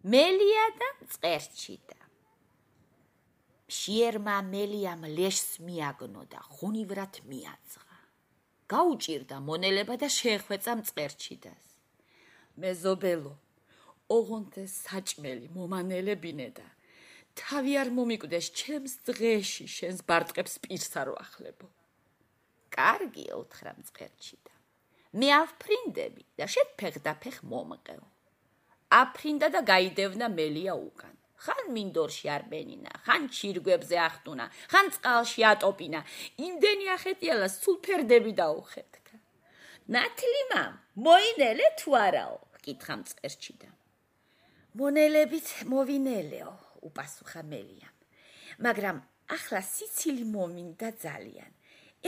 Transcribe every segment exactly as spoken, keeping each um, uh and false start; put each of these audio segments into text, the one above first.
მელია და მწყერჩიდა. მშიერმა მელიამ ლეშს მიაგნო და ღონივრად მიაძღა. გაუჭირდა მონელება და შეეხვეწა მწყერჩიდას. მეზობელო, ოღონდ საჭმელი მომანელებინე და თავი არ მომიკვდეს ჩემს დღეში შენს ბარტყებს პირს არ ვახლებო. კარგია, უთხრა მწყერჩიდა. მე ავფრინდები და შენ ფეხდაფეხ მომყევ. აფრინდა და გაიდევნა მელია უკან. ხან მინდორში არ ბენინა, ხან ჩირგვებზე ახტუნა, ხან წყალში ატოპინა. იმდენი ახეტიალა სულ ფერდები დაუხეთქა. ნათლი მამ, მოინელე თუ არაო? კითხა მწყერჩიდა. მონელებით მოვინელეო, უპასუხა მელიამ. მაგრამ ახლა სიცილი მომინდა ძალიან.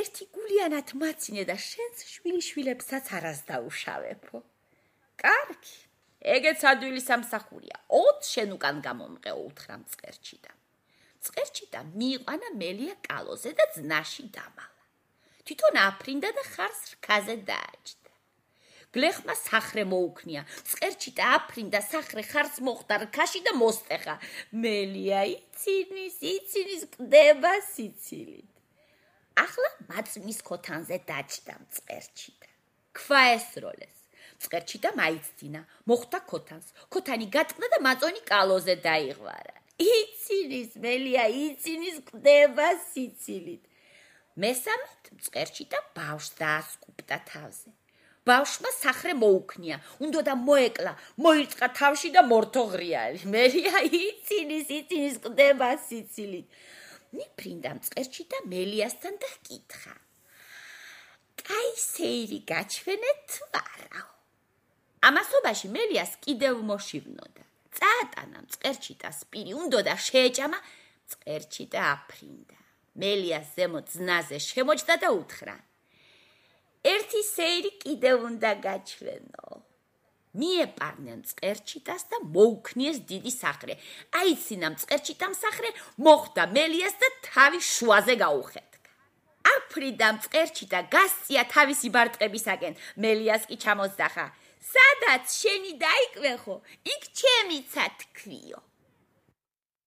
ერთი გულიანად მაცინე და შენს შვილიშვილებსაც არას დაუშავებო. კარგი, ეგეც ადვილი სამსახურია. ოც შენ უკან გამომყეო, უთხრა მწყერჩიდა. მწყერჩიდა მიიყვანა მელია კალოზე და ძნაში დამალა. თვითონ აფრინდა და ხარს რქაზე დააჯდა. გლეხმა სახრე მოუქნია. მწყერჩიდა აფრინდა სახრე ხარს მოხდა რქაში და მოსტეხა. მელია იცინის, იცინის, ყდება სიცილით. ახლა მაწმის ქოთანზე დაჯდა მწყერჩიდა. ქვა ესროლეს. მწყერჩიდა მაიცდინა, მოხვდა ქოთანს. ქოთანი გაწყდა და მაწონი კალოზე დაიღვარა. იცინის, მელია იცინის, ყდება სიცილით. მესამედ მწყერჩიდა ბავშვს დაასკუპტა თავზე. ბავშვმა სახრე მოუქნია, უნდოდა მოეკლა, მოირწყა თავში და მორთო ღრიალი. მელია იცინის, იცინის, ყდება სიცილით. მიფრინდა მწყერჩიდა მელიასთან და ჰკითხა. კაი სეირი გაჩვენეთ თუ არაო? ამასობაში მელიას კიდევ მოშივნოდა. წაატანა მწყერჩიტას პირი, უნდოდა შეეჭამა, მწყერჩიტა აფრინდა. მელიას ზემოთ ზნაზე შემოჭდა და უთხრა. ერთი სეირი კიდევ უნდა გაჩვენო. მიეპარნენ მწყერჩიტას და მოუქნიეს დიდი სახრე. აიცინა მწყერჩიტამ სახრე, მოხვდა მელიას და თავი შუაზე გაუხეთქა. აფრინდა მწყერჩიტა გასწია თავისი ბარტყებისაკენ. მელიას კი ჩამოსძახა. სადაც შენი დაიკვეხო, იქ ჩემიცა თქვიო.